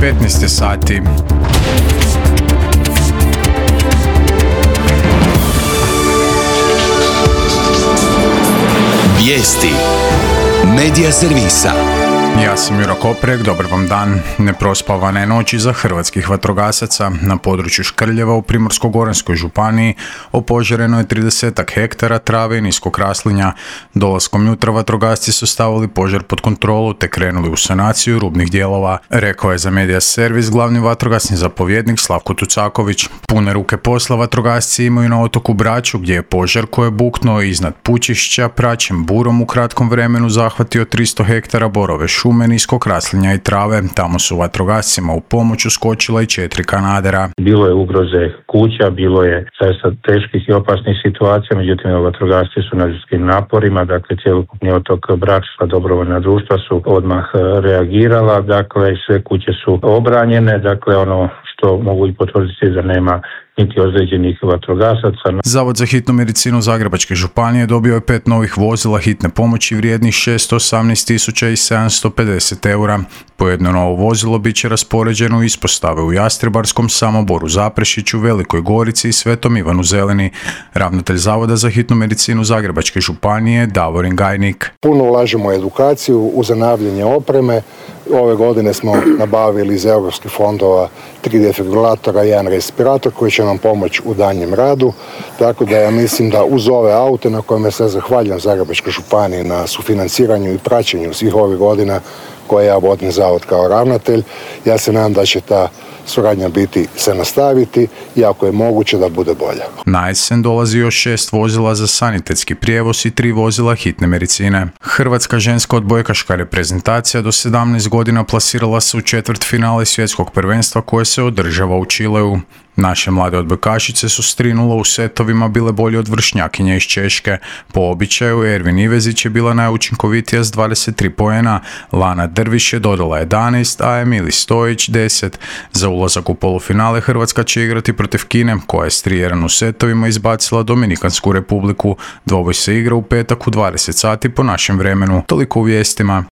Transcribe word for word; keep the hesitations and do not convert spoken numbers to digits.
petnaest je sati. Vijesti Medija servisa. Ja sam Juro Koprek, dobar vam dan. Neprospavane noći za hrvatskih vatrogasaca. Na području Škrljeva u Primorsko-goranskoj županiji opožareno je tridesetak hektara trave i niskog raslinja. Dolaskom jutra vatrogasci su stavili požar pod kontrolu te krenuli u sanaciju rubnih dijelova, rekao je za Medija servis glavni vatrogasni zapovjednik Slavko Tucaković. Pune ruke posla vatrogasci imaju na otoku Braču, gdje je požar koji je buknuo iznad Pučišća praćem burom u kratkom vremenu zahvatio tristo hektara borove šume, niskog raslinja i trave. Tamo su vatrogascima u pomoć uskočila i četiri kanadera. Bilo je ugroze kuća, bilo je zaista teških i opasnih situacija, međutim vatrogasci su na ljudskim naporima, dakle cjelokupni otok Brač, dobrovoljna društva su odmah reagirala, dakle sve kuće su obranjene, dakle ono što mogu i potvrditi da nema niti ozlijeđenih vatrogasaca. Zavod za hitnu medicinu Zagrebačke županije dobio je pet novih vozila hitne pomoći vrijednih šesto osamnaest tisuća sedamsto pedeset eura. Po jedno novo vozilo bit će raspoređeno u ispostave u Jastrebarskom, Samoboru, Zaprešiću, Velikoj Gorici i Svetom Ivanu Zelini. Ravnatelj Zavoda za hitnu medicinu Zagrebačke županije Davorin Gajnik. Puno ulažemo u edukaciju, u zanavljanje opreme. Ove godine smo nabavili iz europskih fondova tri defibrilatora i jedan respirator koji će nam pomoći u danjem radu. Tako da ja mislim da uz ove aute na kojima se zahvaljujem Zagrebačkoj županiji na sufinanciranju i praćenju svih ovih godina koje ja vodim zavod kao ravnatelj, ja se nadam da će ta suradnja biti se nastaviti i ako je moguće da bude bolja. Na jesen dolazi još šest vozila za sanitetski prijevoz i tri vozila hitne medicine. Hrvatska ženska odbojkaška reprezentacija do sedamnaest godina plasirala se u četvrtfinale svjetskog prvenstva koje se održava u Čileu. Naše mlade odbojkašice su s tri nula u setovima bile bolje od vršnjakinja iz Češke. Po običaju Ervin Ivezić je bila najučinkovitija s dvadeset tri poena, Lana Drviš je dodala jedanaest, a Emili Stojić deset. Za ulazak u polufinale Hrvatska će igrati protiv Kine, koja je s tri jedan u setovima izbacila Dominikansku republiku. Dvoboj se igra u petak u dvadeset sati po našem vremenu. Toliko u vijestima.